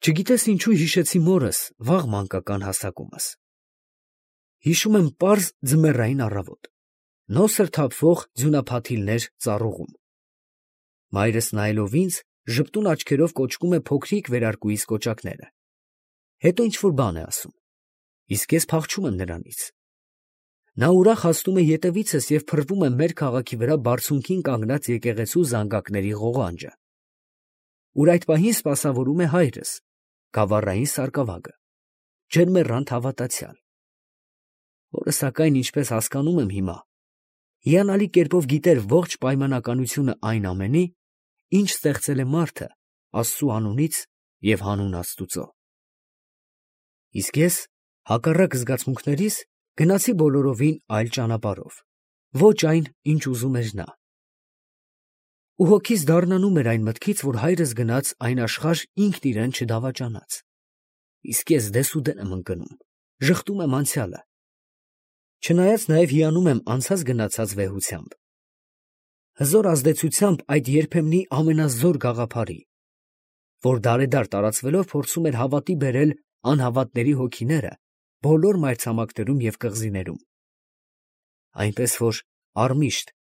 Չգիտես ինչու հիշեցի մորս վաղ մանկական հասակումս։ Հիշում եմ պարզ ձմեռային առավոտ, նոսր թափվող ձյունափաթիլներ ծառուղում։ Մայրս նայելով ինձ, ժպտուն աչքերով կոճկում է փոքրիկ վերարկուիս կոճակները։ Հետո ինչ֊որ բան է ասում, իսկ ես փախչում եմ նրանից։ Նա ուրախ հասնում է ետևիցս և փռվում է մեր քաղաքի վրա բարձունքին կանգնած եկեղեցու զանգակների ղողանջը, ուր այդ պահին սպասավորում է հայրս, գավառային սարկավագը, ջերմեռանդ հավատացյալ, որը սակայն, ինչպես հասկանում եմ հիմա, հիանալի կերպով գիտեր ողջ պայմանականությունը այն ամենի, ինչ ստեղծել է մարդը Աստծու անունից և հանուն Աստուծո։ Իսկ ես, հակառակ զգացմունքներիս, գնացի բոլորովին այլ ճանապարհով, ոչ այն, ինչ ուզում էր նա։ Ու հոգիս դառնանում էր այն մտքից, որ հայրս գնաց այն աշխարհ ինքն իրեն չդավաճանած։ Իսկ ես դեսուդեն եմ ընկնում, ժխտում եմ անցյալը, չնայած նաև հիանում եմ անցած գնացած վեհությամբ, հզոր ազդեցությամբ այդ երբեմնի ամենազոր գաղափարի, որ դարեդար տարածվելով փորձում էր հավատի բերել անհավատների հոգիները բոլոր մայրցամաքներում և կղզիներում, այնպես որ առմիշտ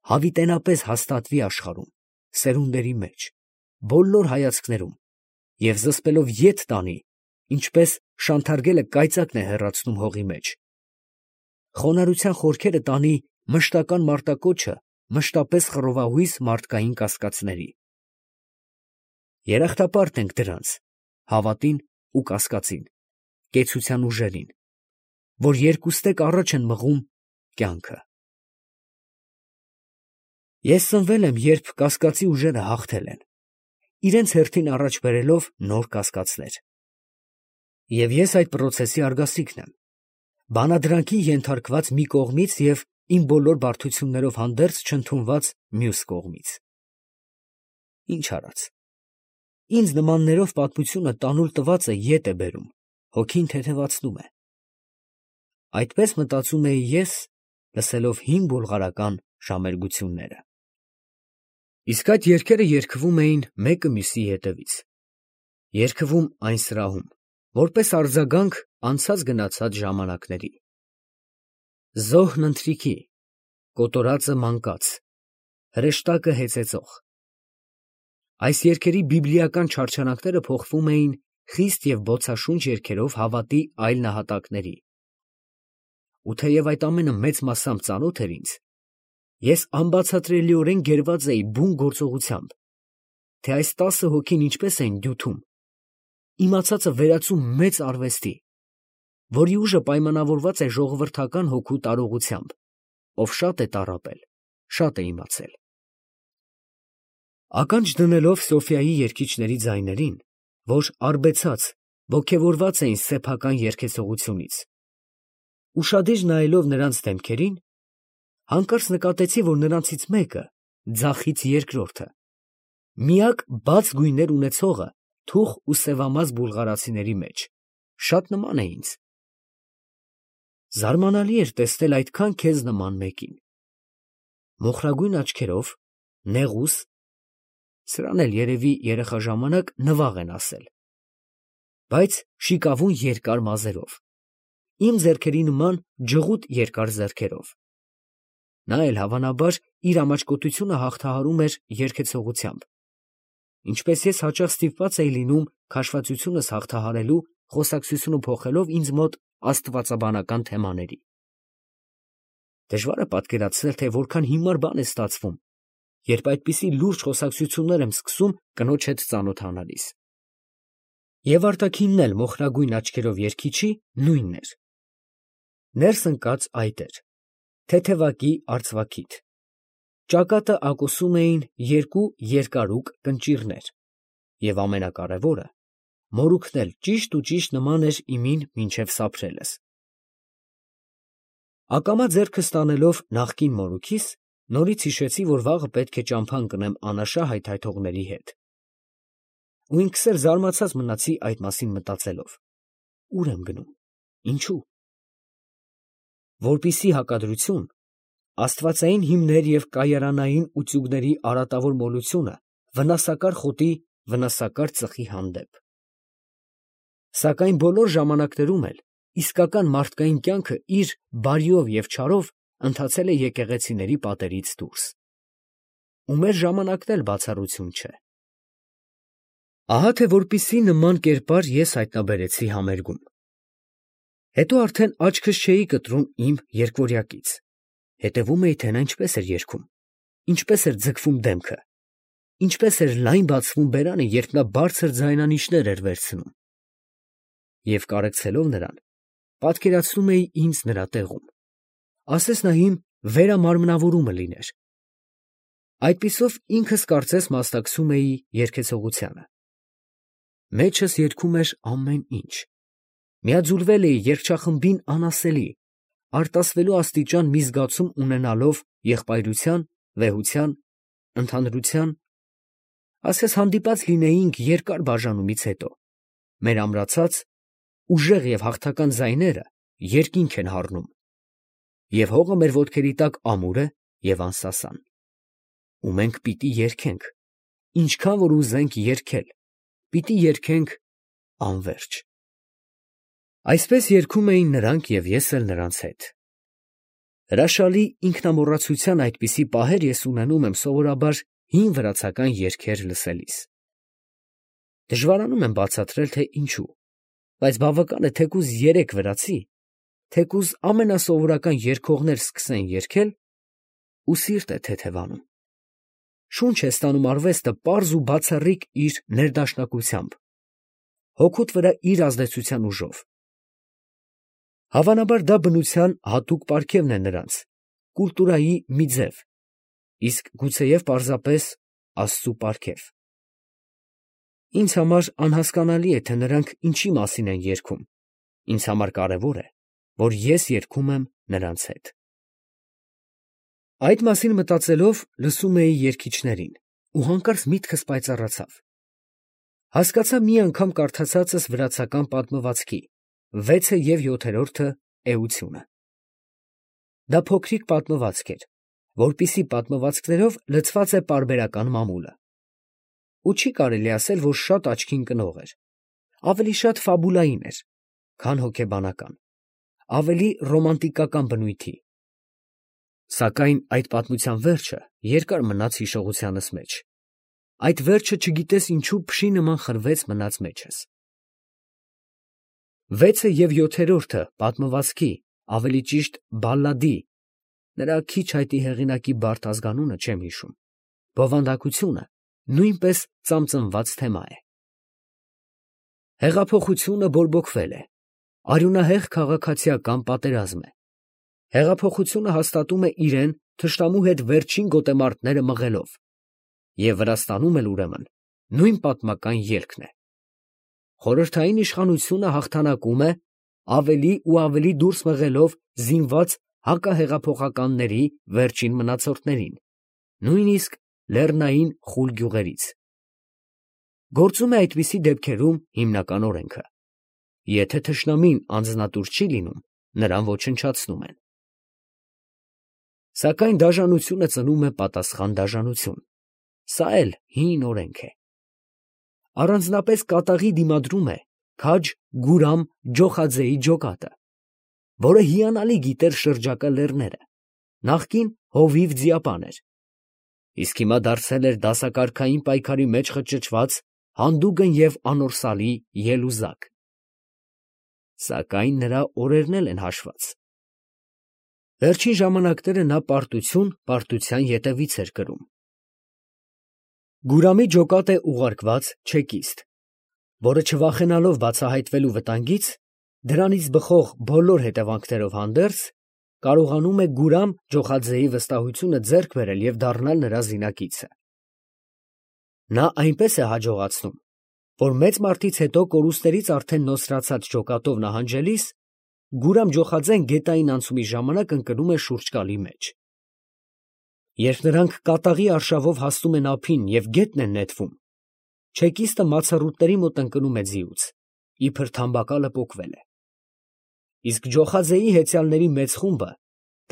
հավիտենապես հաստատվի աշխարհում, սերունդերի մեջ, բոլոր հայացքներում և զսպելով ետ տանի, ինչպես շանթարգելը կայծակն է հեռացնում հողի մեջ, խոնարհության խորքերը տանի մշտական մարտակոչը մշտապես խռովահույս մարդկային կասկածների։ Երախտապարտ ենք դրանց, հավատին ու կասկածին, կեցության ուժերին, որ երկուստեք առաջ են մղում կյանքը։ Ես ծնվել եմ, երբ կասկածի ուժերը հաղթել են, իրենց հերթին առաջ բերելով նոր կասկածներ։ Եվ ես այդ պրոցեսի արգասիքն եմ, բանադրանքի ենթարկված մի կողմից և իմ բոլոր բարդություններով հանդերձ չընդունված մյուս կողմից։ Ինչ արած, ինձ նմաններով պատմությունը տանուլ տվածը ետ է բերում, հոգին թեթևացնում է։ Այդպես մտածում էի ես, լսելով հին բուլղարական ժամերգությունները։ Իսկ այդ երգերը երգվում էին մեկը մյուսի հետևից, երգվում այն սրահում, որպես արձագանք անցած գնացած ժամանակների։ Զոհն ընթրիքի, կոտորածը մանկաց, հրեշտակը հեծեծող։ Այս երգերի բիբլիական չարչարանքները փոխվում էին խիստ և բոցաշունչ երգերով հավատի այլ նահատակների։ Ու թեև այդ ամենը մեծ մասամբ ծանոթ էր ինձ, ես անբացատրելիորեն գերված էի բուն գործողությամբ, թե այս 10 հոգին ինչպես էին դյութում, իմացածը վերածում մեծ արվեստի, որի ուժը պայմանավորված է ժողովրդական հոգու տարողությամբ, ով շատ է տառապել, շատ է իմացել։ Ականջ դնելով Սոֆիայի երգիչների ձայներին, որ արբեցած, ոգևորված էին սեփական երգեցողությունից, ուշադիր նայելով նրանց դեմքերին, հանկարծ նկատեցի, որ նրանցից մեկը, ձախից երկրորդը, միակ բաց գույներ ունեցողը թուխ ու սևամազ բուլղարացիների մեջ, շատ նման է ինձ։ Զարմանալի էր տեսնել այդքան քեզ նման մեկին, մոխրագույն աչքերով, նեղուս, սրան էլ երևի երեխա ժամանակ նվաղ են ասել, բայց շիկավուն երկար մազերով, իմ ձեռքերի նման ջղուտ երկար ձեռքերով։ Նա էլ հավանաբար իր ամաչկոտությունը հաղթահարում էր երգեցողությամբ, ինչպես ես հաճախ ստիպված էի լինում քաշվածությունս հաղթահարելու, խոսակցությունը փոխելով ինձ մոտ աստվածաբանական թեմաների։ Դժվար է պատկերացնել, թե որքան հիմար բան է ստացվում, երբ այդպիսի լուրջ խոսակցություններ եմ սկսում կնոջ հետ ծանոթանալիս։ Եվ արտաքինն էլ մոխրագույն աչքերով երգիչի նույնն էր։ Ներս ընկած այդ էր, թեթևակի արծվաքիթ, ճակատը ակոսում էին երկու երկարուկ կնճիռներ, և ամենակարևորը, մորուքն էլ ճիշտ ու ճիշտ նման էր իմին մինչև սափրելս։ Ակամա ձեռքս տանելով նախկին մորուքիս, նորից հիշեցի, որ վաղը պետք է ճամփա ընկնեմ անաշա հայթայթողների հետ։ Ու ինքս էլ զարմացած մնացի այդ մասին մտածելով. ուր եմ գնում, ինչու։ Որպիսի հակադրություն, աստվածային հիմներ և կայարանային ուծուգների արատավոր մոլությունը վնասակար խոտի վնասակար ծխի հանդեպ։ Սակայն բոլոր ժամանակներում էլ իսկական մարդկային կյանքը իր բարիով և չարով ընթացել է եկեղեցիների պատերից դուրս։ Ու մեր ժամանակն էլ բացառություն չէ։ Ահա թե որպիսի նման կերպար ես հայտնաբերեցի համերգում։ Հետո արդեն աչքս չէի կտրում իմ երկվորյակից, հետևում էի, թե նա ինչպես էր երգում, ինչպես էր ձգվում դեմքը, ինչպես էր լայն բացվում բերանը, երբ նա բարձր ձայնանիշներ էր վերցնում։ Եվ կարեկցելով նրան, պատկերացնում էի ինձ նրա տեղում, ասես նա իմ վերամարմնավորումը լիներ։ Այդպիսով ինքս կարծես մասնակցում էի երգեցողությանը։ Մեջս երգում էր ամեն ինչ։ Միաձուլվել էի երգչախմբին անասելի, արտասվելու աստիճան մի զգացում ունենալով եղբայրության, վեհության, ընդհանրության, ասես հանդիպած լինեինք երկար բաժանումից հետո, մեր ամրացած, ուժեղ և հաղթական ձայները երկինք են հառնում, և հողը մեր ոտքերի տակ ամուր է և անսասան։ Ու մենք պիտի երգենք, ինչքան որ ուզենք երգել, պիտի երգենք անվերջ։ Այսպես երգում էին նրանք և ես էլ նրանց հետ։ Հրաշալի ինքնամոռացության այդպիսի պահեր ես ունենում եմ սովորաբար հին վրացական երգեր լսելիս։ Դժվարանում եմ բացատրել, թե ինչու, բայց բավական է թեկուզ 3 վրացի, թեկուզ ամենասովորական երգողներ սկսեն երգել, ու սիրտ է թեթևանում։ Շունչ է ստանում արվեստը պարզ ու բացառիկ իր ներդաշնակությամբ, հոգուդ վրա իր ազդեցության ուժով։ Հավանաբար դա բնության հատուկ պարգևն է նրանց, կուլտուրայի մի ձև, իսկ գուցեև պարզապես Աստծու պարգև։ Ինձ համար անհասկանալի է, թե նրանք ինչի մասին են երգում, ինձ համար կարևոր է, որ ես երգում եմ նրանց հետ։ Այդ մասին մտածելով լսում էի երգիչներին, ու հանկարծ միտքս պայծառացավ։ Հասկացա մի անգամ կարդացածս վրացական պատմվածքի 6 և 7-րդ էությունը։ Դա փոքրիկ պատմվածք էր, որպիսի պատմվածքներով լցված է պարբերական մամուլը։ Ու չի կարելի ասել, որ շատ աչքին կնող էր, ավելի շատ ֆաբուլային էր, քան հոգեբանական, ավելի ռոմանտիկական բնույթի։ Սակայն այդ պատմության վերջը երկար մնաց հիշողությանս մեջ։ Այդ վերջը չգիտես ինչու փշի նման խրվեց մնաց մեջս։ 6 և 7-րդ պատմվածքի, ավելի ճիշտ բալլադի, նրա քիչ հայտնի հեղինակի բարդ ազգանունը չեմ հիշում, բովանդակությունը նույնպես ծամծմված թեմա է։ Հեղափոխությունը բորբոքվել է, արյունահեղ քաղաքացիական պատերազմ է։ Հեղափոխությունը հաստատում է իրեն թշնամու հետ վերջին գոտեմարտները մղելով, և Վրաստանում էլ ուրեմն նույն պատմական ելքն է։ Խորհրդային իշխանությունը հաղթանակում է, ավելի ու ավելի դուրս մղելով զինված հակահեղափոխականների վերջին մնացորդներին, նույնիսկ լեռնային խուլ գյուղերից։ Գործում է այդպիսի դեպքերում հիմնական օրենքը. եթե թշնամին անձնատուր չի լինում, նրան ոչնչացնում են։ Սակայն դաժանությունը ծնում է պատասխան դաժանություն։ Սա էլ հին օրենք է։ Առանձնապես կատաղի դիմադրում է քաջ Գուրամ Ջոխաձեի ջոկատը, որը հիանալի գիտեր շրջակա լեռները, նախկին հովիվ ձիապան էր, իսկ հիմա դարձել էր դասակարգային պայքարի մեջ խճճված հանդուգն և անորսալի ելուզակ։ Սակայն նրա օրերն էլ են հաշված։ Վերջին ժամանակները նա պարտություն պարտության ետևից էր կրում։ Գուրամի ջոկատ է ուղարկված չեկիստ, որը չվախենալով բացահայտվելու վտանգից, դրանից բխող բոլոր հետևանքներով հանդերձ, կարողանում է Գուրամ Ջոխաձեի վստահությունը ձեռք բերել և դառնալ նրա զինակիցը։ Նա այնպես է հաջողացնում, որ մեծ մարտից հետո կորուստներից արդեն նոսրացած ջոկատով նահանջելիս, Գուրամ Ջոխաձեն գետային անցումի ժամանակ ընկնում է շուրջկալի մեջ։ Երբ նրանք կատաղի արշավով հասնում են ափին և գետն են նետվում, չեկիստը մացառուտների մոտ ընկնում է ձիուց, իբր թամբակալը պոկվել է։ Իսկ Ջոխաձեի հեծյալների մեծ խումբը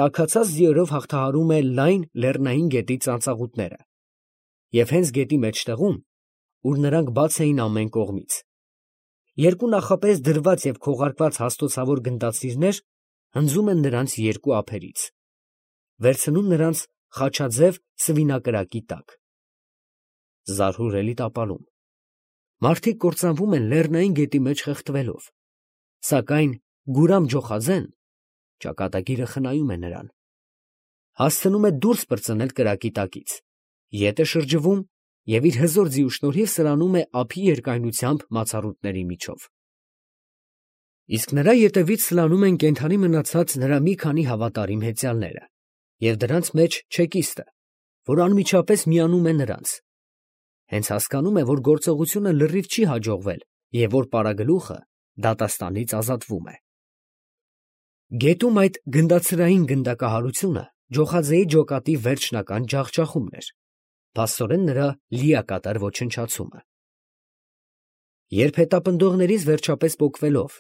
տաքացած ձիերով հաղթահարում է լայն լեռնային գետի ծանծաղուտները, և հենց գետի մեջտեղում, ուր նրանք բաց էին ամեն կողմից, Երկու նախապես դրված և քողարկված հաստոցավոր գնդացիրներ հնձում են նրանց երկու ափերից, վերցնում նրանց խաչաձև սվինակրակի տակ։ Զարհուրելի տապալում։ Մարդիկ կործանվում են լեռնային գետի մեջ խեղդվելով, սակայն Գուրամ Ջոխաձեն ճակատագիրը խնայում է նրան, հասցնում է դուրս պրծնել կրակի տակից, ետ է շրջվում և իր հզոր ձիու շնորհիվ սրանում է ափի երկայնությամբ մացառուտների միջով։ Իսկ նրա ետևից սլանում են կենդանի մնացած նրա մի քանի հավատարիմ հեծյալները և դրանց մեջ չեկիստը, որ անմիջապես միանում է նրանց, հենց հասկանում է, որ գործողությունը լրիվ չի հաջողվել և որ պարագլուխը դատաստանից ազատվում է։ Գետում այդ գնդացրային գնդակահարությունը Ջոխաձեի ջոկատի վերջնական ջախջախումն էր, փաստորեն նրա լիակատար ոչնչացումը։ Երբ հետապնդողներից վերջապես պոկվելով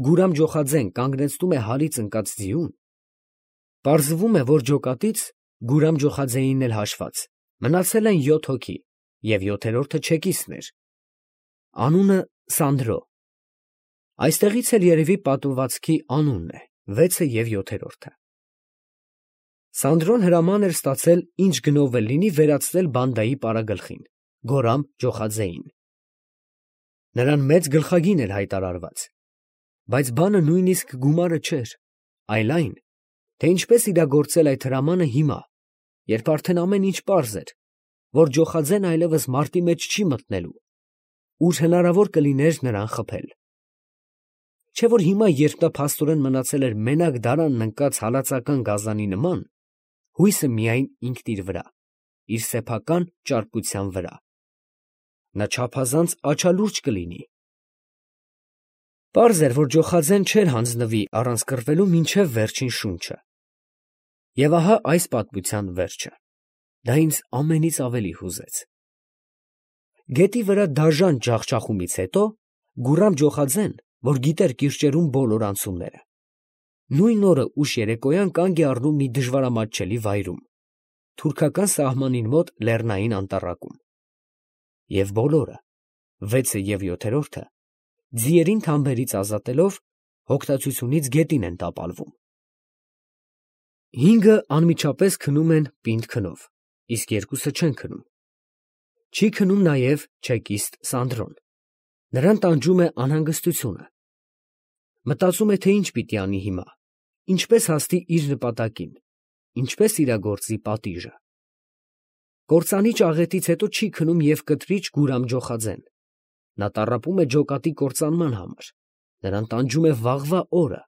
Գուրամ Ջոխաձեն կանգնեցնում է հարից ընկած ձիուն, պարզվում է, որ ջոկատից, Գուրամ Ջոխաձեին էլ հաշված, մնացել են 7 հոգի և յոթերորդը չեկիստն էր, անունը Սանդրո։ Այստեղից էլ երևի պատմվածքի անունն է, 6-ը և 7-րդը։ Սանդրոն հրաման էր ստացել ինչ գնով էլ լինի վերացնել բանդայի պարագլխին, Գորամ Ջոխաձեին։ Նրան մեծ գլխագին էր հայտարարված, բայց բանը նույնիսկ գումարը չէր, այլ այն, թե ինչպես իրագործել այդ հրամանը հիմա, երբ արդեն ամեն ինչ պարզ էր, որ Ջոխաձեն այլևս մարտի մեջ չի մտնելու, ուր հնարավոր կլիներ նրան խփել։ Չէ որ հիմա, երբ նա փաստորեն մնացել էր մենակ դարանն ընկած հալածական գազանի նման, հույսը միայն ինքն իր վրա, իր սեփական ճարպկության վրա, նա չափազանց աչալուրջ կլինի։ Պարզ էր, որ Ջոխաձեն չէր հանձնվի առանց կռվելու մինչև վերջին շունչը։ Եվ ահա այս պատմության վերջը, դա ինձ ամենից ավելի հուզեց։ Գետի վրա դաժան ջախջախումից հետո Գուրամ Ջոխաձեն, որ գիտեր կիրճերում բոլոր անցումները, նույն օրը ուշ երեկոյան կանգ է առնում մի դժվարամատչելի վայրում, թուրքական սահմանին մոտ լեռնային անտառակում, և բոլորը, 6-ը և 7-րդը, ձիերին թամբերից ազատելով, հոգտացությունից գետին են տապալվում։ 5-ը անմիջապես քնում են պինդ քնով, իսկ 2-ը չեն քնում։ Չի քնում նաև չեկիստ Սանդրոն, նրան տանջում է անհանգստությունը։ Մտածում է, թե ինչ պիտի անի հիմա, ինչպես հասնի իր նպատակին, ինչպես իրագործի պատիժը։ Կործանիչ աղետից հետո չի քնում և կտրիչ Գուրամ Ջոխաձեն, նա տառապում է ջոկատի կործանման համար, նրան տանջում է վաղվա օրը։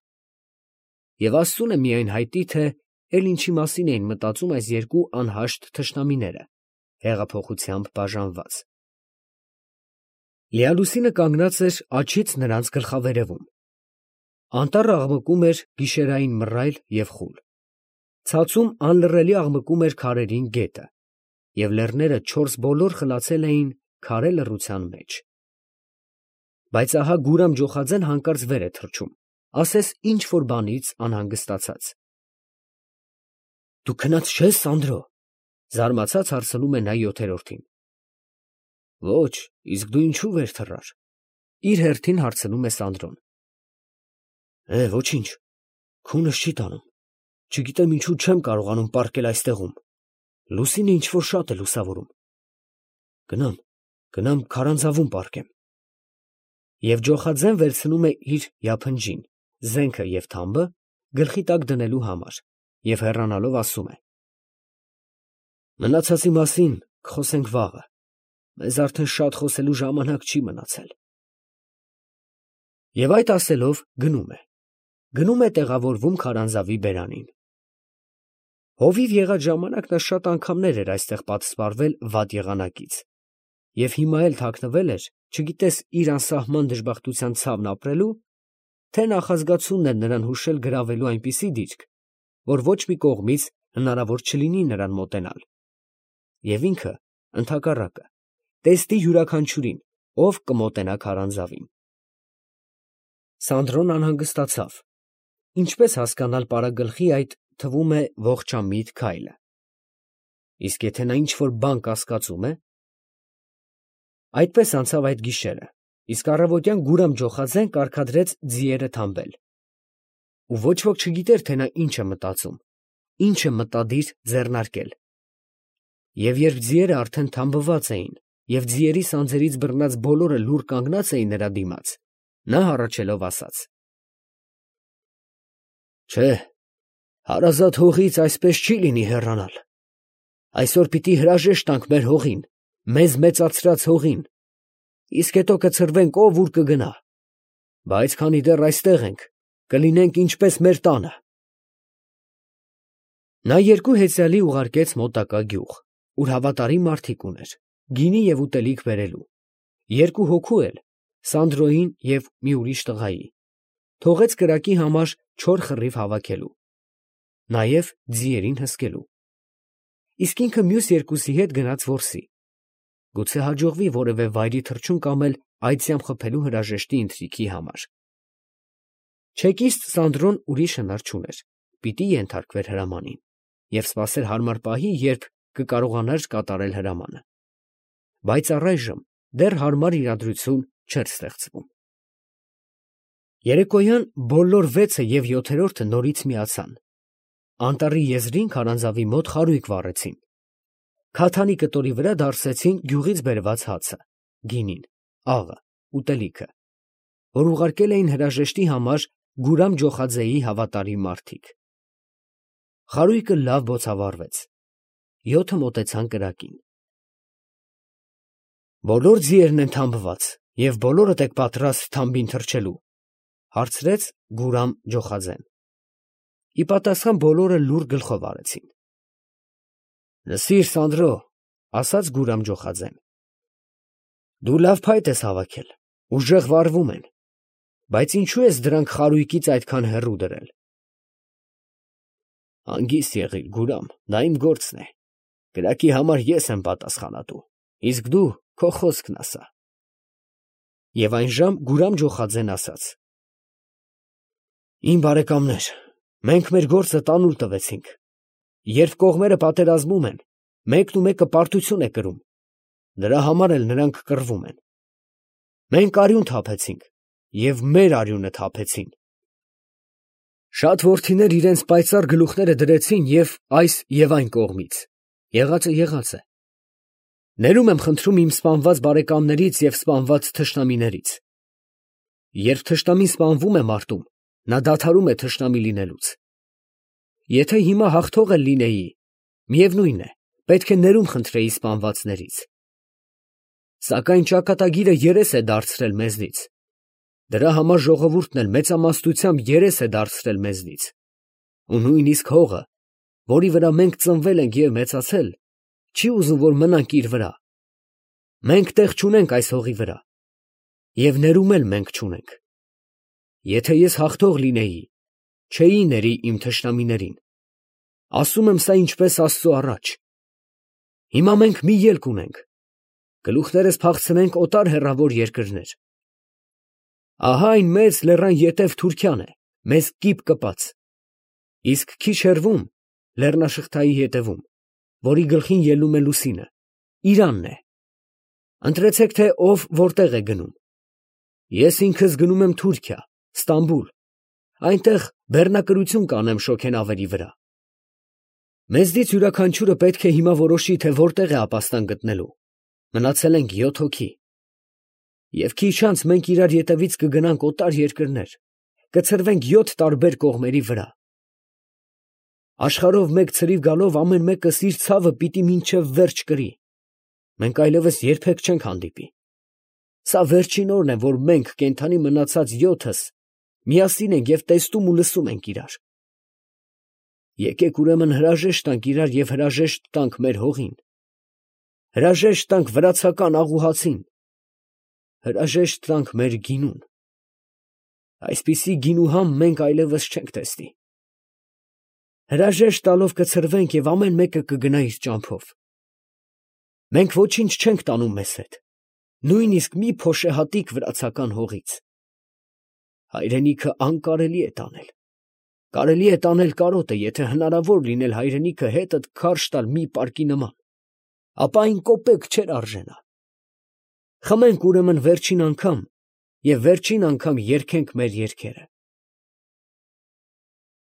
Եվ Աստծուն է միայն հայտնի, թե էլ ինչի մասին էին մտածում այս երկու անհաշտ թշնամիները, հեղափոխությամբ բաժանված։ Լիալուսինը կանգնած էր աջից նրանց գլխավերևում։ Անտառը աղմկում էր գիշերային մռայլ և խուլ, ցածում անլռելի աղմկում էր քարերին գետը, և լեռները չորս բոլոր խլացել էին քարե լռության մեջ։ Բայց ահա Գուրամ Ջոխաձեն հանկարծ վեր է թռչում, ասես ինչ֊որ բանից անհանգստացած։ «Դու քնած չե՞ս, Սանդրո», զարմացած հարցնում է նա 7-րդին։ «Ոչ, իսկ դու ինչու վեր թռար», իր հերթին հարցնում է Սանդրոն։ Ոչինչ, քունս չի տանում, չգիտեմ ինչու չեմ կարողանում պառկել այստեղում, լուսինը ինչ֊որ շատ է լուսավորում։ Գնամ քարանձավում պառկեմ։ Եվ Ջոխաձեն վերցնում է իր յափնջին, զենքը և թամբը գլխի տակ դնելու համար և հեռանալով ասում է. «Մնացածի մասին կխոսենք վաղը, մեզ արդեն շատ խոսելու ժամանակ չի մնացել»։ Եվ այդ ասելով գնում է տեղավորվում քարանձավի բերանին։ Հովիվ եղած ժամանակ նա շատ անգամներ էր այստեղ պատսպարվել վատ եղանակից, և հիմա էլ թաքնվել էր, չգիտես իր անսահման դժբախտության ցավն ապրելու, թե նախազգացումն էր նրան հուշել գրավելու այնպիսի դիրք, որ ոչ մի կողմից հնարավոր չլինի նրան մոտենալ, և ինքը, ընդհակառակը, տեսնի յուրաքանչյուրին, ով կմոտենա քարանձավին։ Սանդրոն անհանգստացավ. ինչպես հասկանալ պարագլխի այդ, թվում է, ողջամիտ քայլը։ Իսկ եթե նա ինչ֊որ բան կասկածում է։ Այդպես անցավ այդ գիշերը, իսկ առավոտյան Գուրամ Ջոխաձեն կարգադրեց ձիերը թամբել։ Ու ոչ ոք չգիտեր, թե նա ինչ է մտածում, ինչ է մտադիր ձեռնարկել։ Եվ երբ ձիերը արդեն թամբված էին, և ձիերի սանձերից բռնած բոլորը լուռ կանգնած էին նրա դիմաց, նա հառաչելով ասաց. «Չէ, հարազատ հողից այսպես չի լինի հեռանալ. այսօր պիտի հրաժեշտ տանք մեր հողին, մեզ մեծացրած հողին, իսկ հետո կցրվենք ով ուր կգնա, բայց քանի դեռ այստեղ ենք, կլինենք ինչպես մեր տանը»։ Նա երկու հեծյալի ուղարկեց մոտակա գյուղ, ուր հավատարիմ մարդիկ ուներ, գինի և ուտելիք բերելու, երկու հոգու էլ, Սանդրոյին և մի ուրիշ տղայի, թողեց կրակի համար չոր խռիվ հավաքելու, նաև ձիերին հսկելու, իսկ ինքը մյուս երկուսի հետ գնաց որսի, գուցե հաջողվի որևէ վայրի թռչուն կամել այծյամ խփելու հրաժեշտի ընթրիքի համար։ Չեկիստ Սանդրոն ուրիշ հնար չուներ, պիտի ենթարկվեր հրամանին և սպասեր հարմար պահի, երբ կկարողանար կատարել հրամանը, բայց առայժմ դեռ հարմար իրադրություն չէր ստեղծվում։ Երեկոյան բոլոր 6-ը և 7-րդը նորից միացան, անտառի եզրին քարանձավի մոտ խարույկ վառեցին, քաթանի կտորի վրա դարսեցին գյուղից բերված հացը, գինին, աղը, ուտելիքը, որ ուղարկել էին հրաժեշտի համար Գուրամ Ջոխաձեի հավատարիմ մարդիկ։ Խարույկը լավ բոցավառվեց, 7-ը մոտեցան կրակին։ «Բոլոր ձիերն են թամբված և բոլորդ եք պատրաստ թամբին թռչելու», հարցրեց Գուրամ Ջոխաձեն։ Ի պատասխան բոլորը լուռ գլխով արեցին։ «Լսիր, Սանդրո, ֊ ասաց Գուրամ Ջոխաձեն, ֊ դու լավ փայտ ես հավաքել, ուժեղ վարվում են, բայց ինչո՞ւ ես դրանք խարույկից այդքան հեռու դրել»։ «Հանգիստ եղիր, Գուրամ, դա իմ գործն է, կրակի համար ես եմ պատասխանատու, իսկ դու քո խոսքն ասա»։ Եվ այն ժամ Գուրամ Ջոխաձեն ասաց. «Իմ բարեկամներ, մենք մեր գործը տանուլ տվեցինք, երբ կողմերը պատերազմում են, մեկն ու մեկը պարտություն է կրում, դրա համար էլ նրանք կռվում են։ Մենք արյուն թափեցինք և մեր արյունը թափեցին։ Շատ որդիներ իրենց պայծառ գլուխները դրեցին և այս և այն կողմից, եղածը եղած է։ Ներում եմ խնդրում իմ սպանված բարեկամներից և սպանված թշնամիներից։ Երբ թշնամին սպանվում է մարտում, նա դադարում է թշնամի լինելուց։ Եթե հիմա հաղթող էլ լինեի, միևնույն է, պետք է ներում խնդրեի սպանվածներից։ Սակայն ճակատագիրը երես է դարձրել մեզնից, դրա համար ժողովուրդն էլ մեծամասնությամբ երես է դարձրել մեզնից, ու նույնիսկ հողը, որի վրա մենք ծնվել ենք և մեծացել, չի ուզում, որ մնանք իր վրա։ Մենք տեղ չունենք այս հողի վրա, և ներում էլ մենք չունենք։ Եթե ես հաղթող լինեի, չէի ների իմ թշնամիներին։ Ասում եմ սա ինչպես Աստծու առաջ։ Հիմա մենք մի ելք ունենք, գլուխներս փախցնենք օտար հեռավոր երկրներ։ Ահա այն մեծ լեռան ետև Թուրքիան է, մեզ կիպ կպած, իսկ քիչ հեռվում, լեռնաշղթայի ետևում, որի գլխին ելնում է լուսինը, Իրանն է։ Ընտրեցեք, թե ով որտեղ է գնում։ Ես ինքս գնում եմ Թուրքիա, Ստամբուլ, այնտեղ բեռնակրություն կանեմ շոգենավերի վրա։ Մեզնից յուրաքանչյուրը պետք է հիմա որոշի, թե որտեղ է ապաստան գտնելու։ Մնացել ենք 7 հոգի։ Եվ քիչ անց մենք իրար ետևից կգնանք օտար երկրներ, կցրվենք 7 տարբեր կողմերի վրա։ Աշխարհով մեկ ցրիվ գալով ամեն մեկս իր ցավը պիտի մինչև վերջ կրի։ Մենք այլևս երբեք չենք հանդիպի։ Սա վերջին օրն է, որ մենք կենդանի մնացած 7-ս միասին ենք և տեսնում ու լսում ենք իրար։ Եկեք ուրեմն հրաժեշտ տանք իրար և հրաժեշտ տանք մեր հողին, հրաժեշտ տանք վրացական աղուհացին, հրաժեշտ տանք մեր գինուն։ Այսպիսի գինուհամ մենք այլևս չենք տեսնի։ Հրաժեշտ տալով կցրվենք և ամեն մեկը կգնա իր ճամփով։ Մենք ոչինչ չենք տանում մեզ հետ, նույնիսկ մի փոշեհատիկ վրացական հողից։ Հայրենիքը անկարելի է տանել։ Կարելի է տանել կարոտը, եթե հնարավոր լինել հայրենիքը հետդ քարշ տալ մի պարկի նման, ապա այն կոպեկ չէր արժենա։ Խմենք ուրեմն վերջին անգամ և վերջին անգամ երգենք մեր երգերը։